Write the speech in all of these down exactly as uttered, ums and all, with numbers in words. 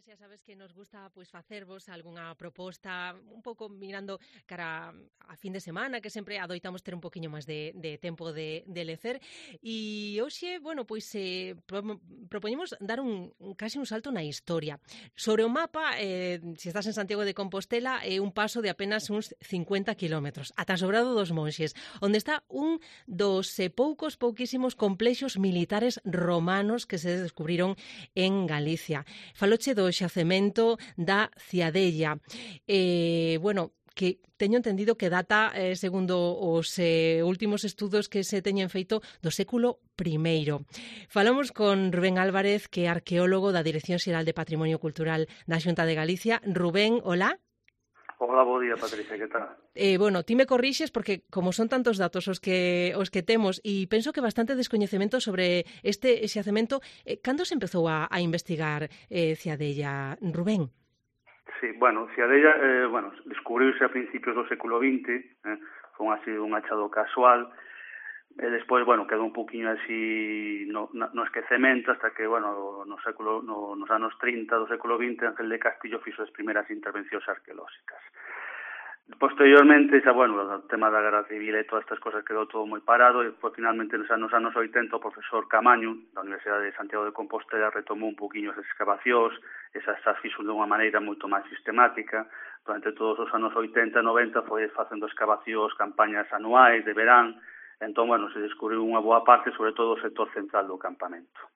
tardes xa sabes que nos gusta pois facervos algunha proposta un pouco mirando cara a fin de semana, que sempre adoitamos ter un poquinho máis de, de tempo de, de lecer. E hoxe, bueno, pois eh, pro, propoñemos dar un, un casi un salto na historia. Sobre o mapa, eh, se estás en Santiago de Compostela, é eh, un paso de apenas uns cincuenta kilómetros, ata Sobrado dos Monxes, onde está un dos eh, poucos, pouquísimos complexos militares romanos que se descubriron en Galicia. Faloche do xacemento da Ciadella. Eh, bueno, que teño entendido que data, eh, segundo os eh, últimos estudos que se teñen feito, do século primeiro. Falamos con Rubén Álvarez, que é arqueólogo da Dirección Xeral de Patrimonio Cultural da Xunta de Galicia. Rubén, hola. Hola, bo día, Patricia, que tal? Eh, bueno, ti me corrixes porque como son tantos datos os que os que temos e penso que bastante descoñecemento sobre este xacemento, eh, cando se empezou a, a investigar eh, Ciadella, Rubén? Sí, bueno, Ciadella, eh, bueno, descubriuse a principios do século vinte, eh, foi así un achado casual, e despois, bueno, quedou un poquinho así no, no esquecemento hasta que, bueno, no século, no, nos anos trinta do século vinte, Ángel de Castillo fixo as primeiras intervencións arqueolóxicas. Posteriormente, xa, bueno, o tema da Guerra Civil e todas estas cosas quedou todo moi parado e pues, finalmente nos anos, anos oitenta o profesor Camaño da Universidade de Santiago de Compostela retomou un poquinho esas excavacións, esas as fixo de unha maneira moito máis sistemática. Durante todos os anos oitenta e noventa foi facendo excavacións, campañas anuais de verán, entón, bueno, se descubriu unha boa parte, sobre todo o sector central do campamento.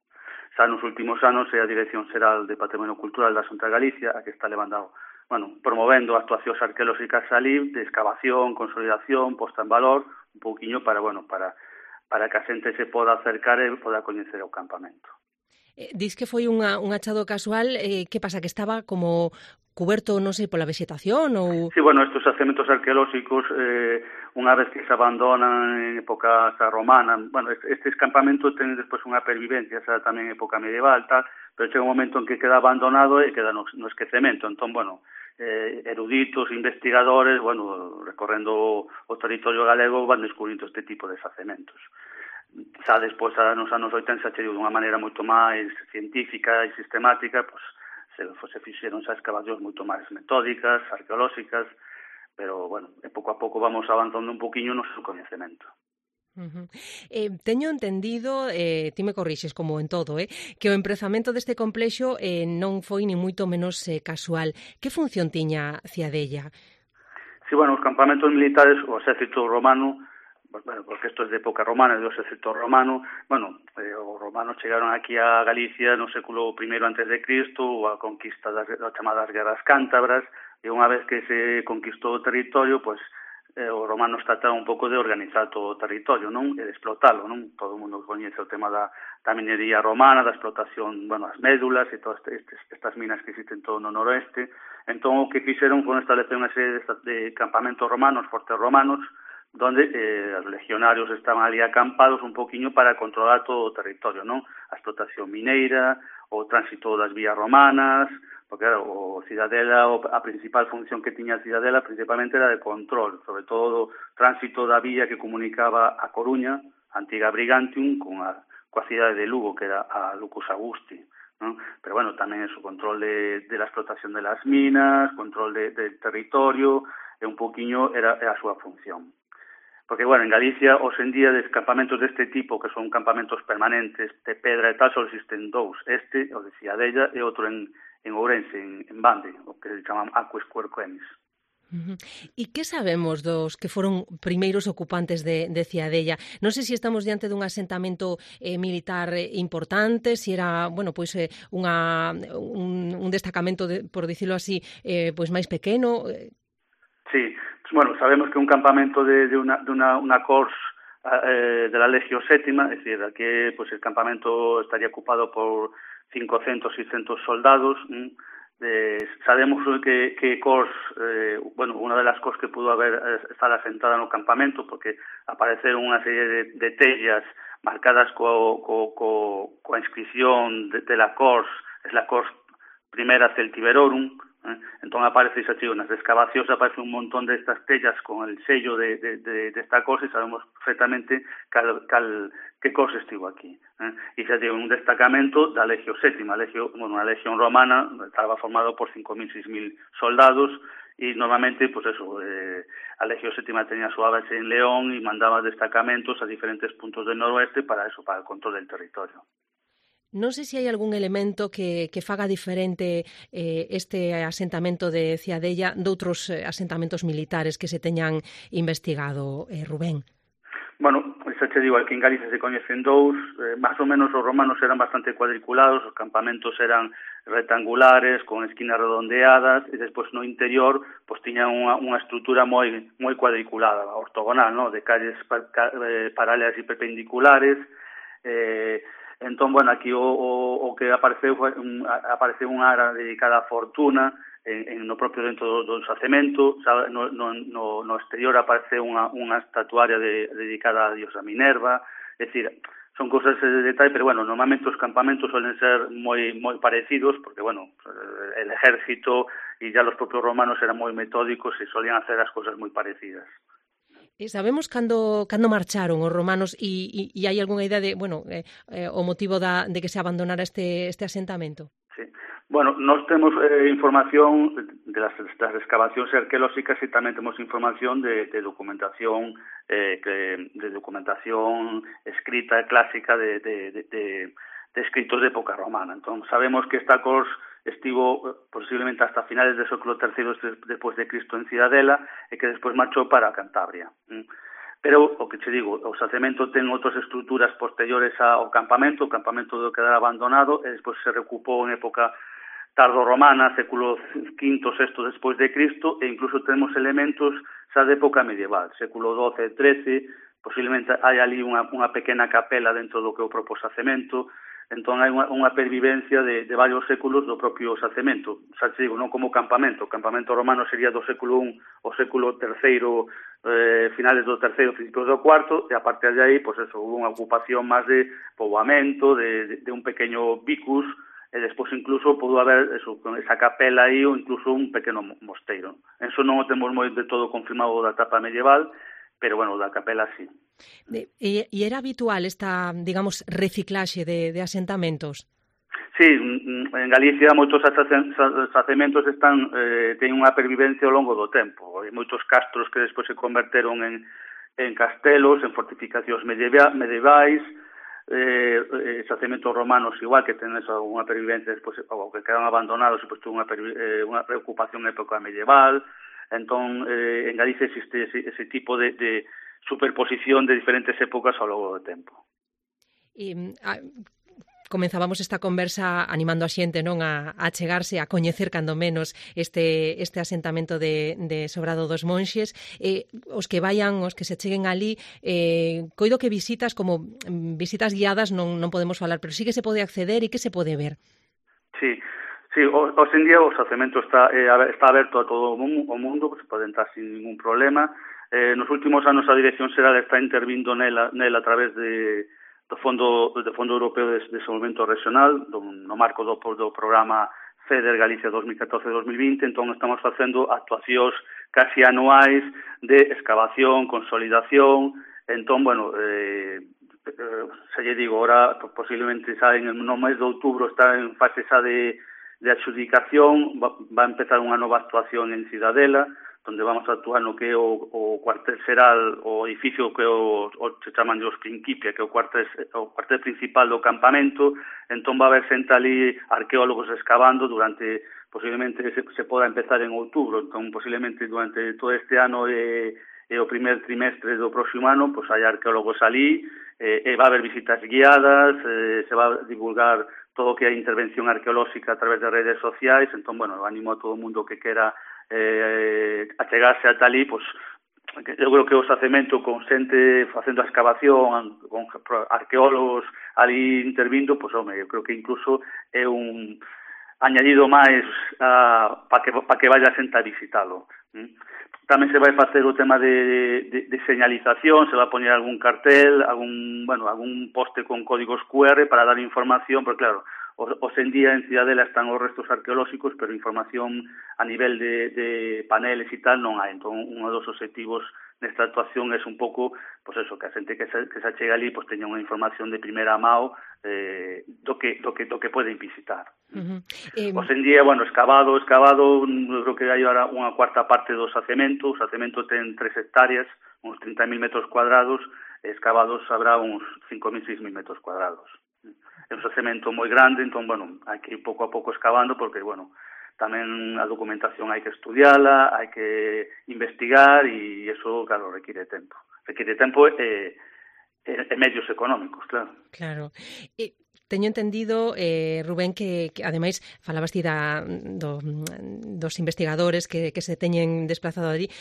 Xa nos últimos anos é a Dirección Xeral de Patrimonio Cultural da Xunta de Galicia a que está levando bueno, promovendo actuacións arqueolóxicas ali, de excavación, consolidación, posta en valor, un pouquiño para, bueno, para, para que a xente se poda acercar e poda coñecer o campamento. Eh, dis que foi unha, un achado casual, eh, que pasa, que estaba como cuberto, non sei, pola vegetación ou... Sí, bueno, estes xacementos arqueolóxicos, eh, unha vez que se abandonan en época romana, bueno, estes campamentos ten despois unha pervivencia, xa tamén en época medieval, tal, pero chega un momento en que queda abandonado e queda no, no esquecemento. Entón, bueno, eh, eruditos, investigadores, bueno, recorrendo o territorio galego van descubrindo este tipo de xacementos. Xa despois, xa nos anos oitenta, xa chegou dunha maneira moito máis científica e sistemática, pois, se, se fixeron xa excavacións moito máis metódicas, arqueolóxicas, pero, bueno, e pouco a pouco vamos avanzando un poquinho no seu coñecemento. Uh-huh. Eh, teño entendido, eh, ti me corrixes como en todo, eh, que o emprezamento deste complexo eh, non foi ni moito menos eh, casual. Que función tiña Ciadella? Sí, bueno, os campamentos militares, o exército romano, pues, bueno, porque isto é de época romana, do exército romano, bueno, eh, os romanos chegaron aquí a Galicia no século primeiro antes de Cristo, ou a conquista das, das chamadas guerras cántabras, e unha vez que se conquistou o territorio, pois, pues, eh, os romanos trataron un pouco de organizar todo o territorio, non? E de explotalo, non? Todo o mundo coñece o tema da, da minería romana, da explotación, bueno, as médulas e todas estes, estas minas que existen todo no noroeste. Entón, o que fixeron foi establecer unha serie de, de campamentos romanos, fortes romanos, donde eh, os legionarios estaban ali acampados un poquinho para controlar todo o territorio, non? A explotación mineira, o tránsito das vías romanas, porque claro, o Cidadela, a principal función que tiña a Cidadela principalmente era de control, sobre todo o tránsito da vía que comunicaba a Coruña, a antiga Brigantium, con a, coa cidade de Lugo, que era a Lucus Augusti, non? Pero bueno, tamén é o control de, de la explotación de las minas, control de, del territorio, e un poquinho era, era a súa función. Porque, bueno, en Galicia, hoxe en día, de campamentos deste tipo, que son campamentos permanentes de pedra e tal, só existen dous. Este, o de Ciadella, e outro en, en Ourense, en, en Bande, o que se chaman Aques Quercuenis. Uh-huh. E que sabemos dos que foron primeiros ocupantes de, de Ciadella? Non sei se estamos diante dun asentamento eh, militar importante, se era, bueno, pois eh, unha, un, un destacamento, de, por dicilo así, eh, pois máis pequeno. Sí, bueno, sabemos que un campamento de, de una, de una, una cors eh, de la Legio Sétima, es decir, aquí pues el campamento estaría ocupado por cincocentos, seiscentos soldados. Eh, sabemos que, que cors, eh, bueno, una de las cors que pudo haber eh, estar asentada no campamento, porque apareceron unha serie de, de tellas marcadas co, co, co, coa inscripción de, de la cors, es la cors primera Celtiberorum, Eh? Entón aparece, xa tío, nas excavacións aparece un montón destas tellas con el sello de, de, de, de esta cosa e sabemos perfectamente cal, cal, que cosa estivo aquí. Eh? E xa tío, un destacamento da Legio Sétima, Legio, bueno, a Legión Romana estaba formado por cinco mil, seis mil soldados e normalmente, pues eso, eh, a Legio Sétima tenía súa base en León e mandaba destacamentos a diferentes puntos del noroeste para eso, para el control del territorio. Non sei se hai algún elemento que, que faga diferente eh, este asentamento de Ciadella doutros eh, asentamentos militares que se teñan investigado, eh, Rubén. Bueno, xa te digo, aquí en Galicia se coñecen dous, eh, máis ou menos os romanos eran bastante cuadriculados, os campamentos eran rectangulares, con esquinas redondeadas, e despois no interior pois tiñan unha, unha estrutura moi moi cuadriculada, ortogonal, ¿no? De calles pa, ca, eh, paralelas e perpendiculares. eh, entón, bueno, aquí o, o, o que apareceu foi un, apareceu unha área dedicada á fortuna, En, en no propio dentro do, do xacemento, no, no, no, no exterior aparece unha, unha estatuaria de, dedicada a diosa Minerva, é dicir, son cousas de detalle, pero bueno, normalmente os campamentos suelen ser moi moi parecidos, porque bueno, el ejército e ya los propios romanos eran moi metódicos e solían hacer as cousas moi parecidas. E sabemos cando cando marcharon os romanos e, e, e hai algunha idea de, bueno, eh, eh, o motivo da, de que se abandonara este, este asentamento? Sí. Bueno, nós temos eh, información de las, das excavacións arqueolóxicas e tamén temos información de, de documentación eh, que, de documentación escrita clásica de, de, de, de, de escritos de época romana. Entón, sabemos que esta cors estivo posiblemente hasta finales do século terceiro despois de Cristo en Ciudadela e que despois marchou para Cantabria. Pero, o que te digo, o xacemento ten outras estruturas posteriores ao campamento, o campamento do quedar abandonado e despois se recupou en época tardo-romana, século quinto, sexto despois de Cristo, e incluso temos elementos xa de época medieval, século doce e trece, posiblemente hai ali unha, unha pequena capela dentro do que é o propio xacemento, entón hai unha, unha pervivencia de, de varios séculos do propio xacemento, xa te digo, non como campamento, o campamento romano sería do século I ao século terceiro, eh, finales do terceiro, principios do cuarto, e a partir de aí, pois eso, hubo unha ocupación máis de poboamento, de, de, de un pequeño vicus, e despois incluso pudo haber eso, con esa capela aí ou incluso un pequeno mosteiro. Eso non o temos moi de todo confirmado da etapa medieval, pero bueno, da capela sí. De, e, e era habitual esta, digamos, reciclaxe de, de asentamentos? Sí, en Galicia moitos xacementos están eh, teñen unha pervivencia ao longo do tempo. Hai moitos castros que despois se converteron en, en castelos, en fortificacións medievais, eh, xacementos romanos igual que ten esa unha pervivencia despois, ou que quedan abandonados e pois unha, eh, unha preocupación en época medieval. Entón eh, en Galicia existe ese, ese tipo de, de superposición de diferentes épocas ao longo do tempo. E a, comenzábamos esta conversa animando a xente, non, a, a chegarse, a coñecer cando menos este este asentamento de, de Sobrado dos Monxes. Eh, os que vayan, os que se cheguen ali, eh, coido que visitas como visitas guiadas non non podemos falar, pero sí que se pode acceder e que se pode ver. Sí. Sí, hoxe en día o xacemento está eh, está aberto a todo o mundo, se pode entrar sin ningún problema. Eh, nos últimos anos a Dirección Xeral está intervindo nela, nela a través de, do Fondo do Fondo Europeo de Desenvolvemento Regional, do, no marco do, do programa FEDER Galicia dos mil catorce dos mil vinte, entón estamos facendo actuacións casi anuais de excavación, consolidación, entón, bueno, eh, eh, se lle digo, ahora posiblemente xa en no mes de outubro está en fase xa de de adxudicación, va, va a empezar unha nova actuación en Cidadela, onde vamos a actuar no que é o, o cuartel xeral, o edificio que o, o se chaman os Principia, que é o cuartel, o cuartel principal do campamento. Entón va a haber xente ali arqueólogos excavando durante, posiblemente se, se poda empezar en outubro, entón posiblemente durante todo este ano e, e o primer trimestre do próximo ano, pois hai arqueólogos ali, e, e va a haber visitas guiadas, e, se va a divulgar todo o que é intervención arqueolóxica a través de redes sociais. Entón, bueno, animo a todo o mundo que quera eh, achegarse ata ali, pois, eu creo que o xacemento con xente facendo a excavación, con arqueólogos ali intervindo, pois, home, eu creo que incluso é un añadido máis uh, para que, pa que vaya xente a visitalo. ¿Mm? Tamén se vai facer o tema de, de, de señalización, se vai poñer algún cartel, algún, bueno, algún poste con códigos Q R para dar información, porque claro, Os en día en Cidadela están os restos arqueolóxicos, pero información a nivel de, de paneles e tal non hai. Entón, un dos objetivos nesta actuación é un pouco, pois eso, que a xente que se, que se achega ali pois teña unha información de primeira mao eh, do que do que do que poden visitar. Uh-huh. Eh... Os en día, bueno, escavado, escavado, eu creo que hai ahora unha cuarta parte do xacemento. O xacemento ten tres hectáreas, uns trinta mil metros cuadrados, e escavados habrá uns cinco mil, seis mil metros cuadrados. É un xacemento moi grande, entón, bueno, hai que ir pouco a pouco escavando porque, bueno, tamén a documentación hai que estudiala, hai que investigar e iso, claro, require tempo. Require tempo e, e, e medios económicos, claro. Claro. E teño entendido, eh, Rubén, que, que ademais falabas ti da, do, dos investigadores que, que se teñen desplazado ali,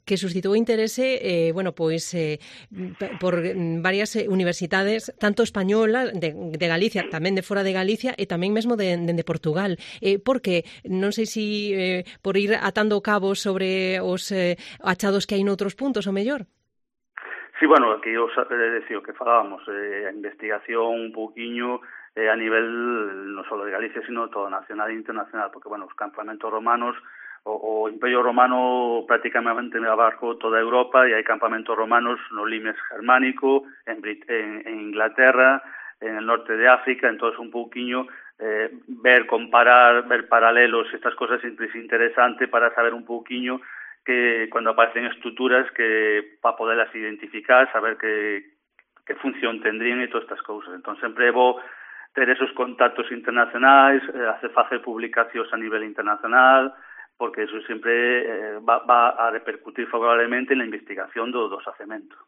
que suscitou interese, eh, bueno, pois eh, por varias universidades, tanto españolas, de, de Galicia, tamén de fora de Galicia, e tamén mesmo de, de, de Portugal. Eh, porque non sei se eh, por ir atando cabos sobre os eh, achados que hai noutros puntos, o mellor. Sí, bueno, aquí os eh, decía o que falábamos, eh, a investigación un pouquiño eh, a nivel non só de Galicia, sino todo nacional e internacional, porque, bueno, os campamentos romanos, O, o Imperio Romano prácticamente abarcou toda Europa e hai campamentos romanos no Limes germánico, en, Brit en, en Inglaterra, en el norte de África. Entón, un pouquiño eh, ver, comparar, ver paralelos, estas cosas sempre é interesante para saber un pouquiño que cando aparecen estruturas que para poderlas identificar, saber que, que función tendrían e todas estas cousas. Entón, sempre é bo ter esos contactos internacionais, eh, hacer facer publicacións a nivel internacional, porque eso sempre eh, va, va a repercutir favorablemente na investigación do, do xacemento.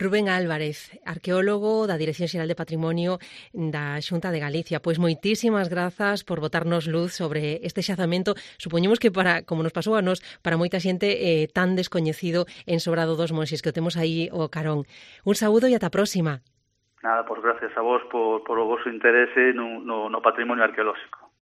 Rubén Álvarez, arqueólogo da Dirección Xeral de Patrimonio da Xunta de Galicia. Pois moitísimas grazas por botarnos luz sobre este xazamento. Supoñemos que para, como nos pasou a nos, para moita xente eh, tan descoñecido en Sobrado dos Monxes, que o temos aí o carón. Un saúdo e ata a próxima. Nada, pois gracias a vos por, por o vosso interese no, no, no patrimonio arqueolóxico.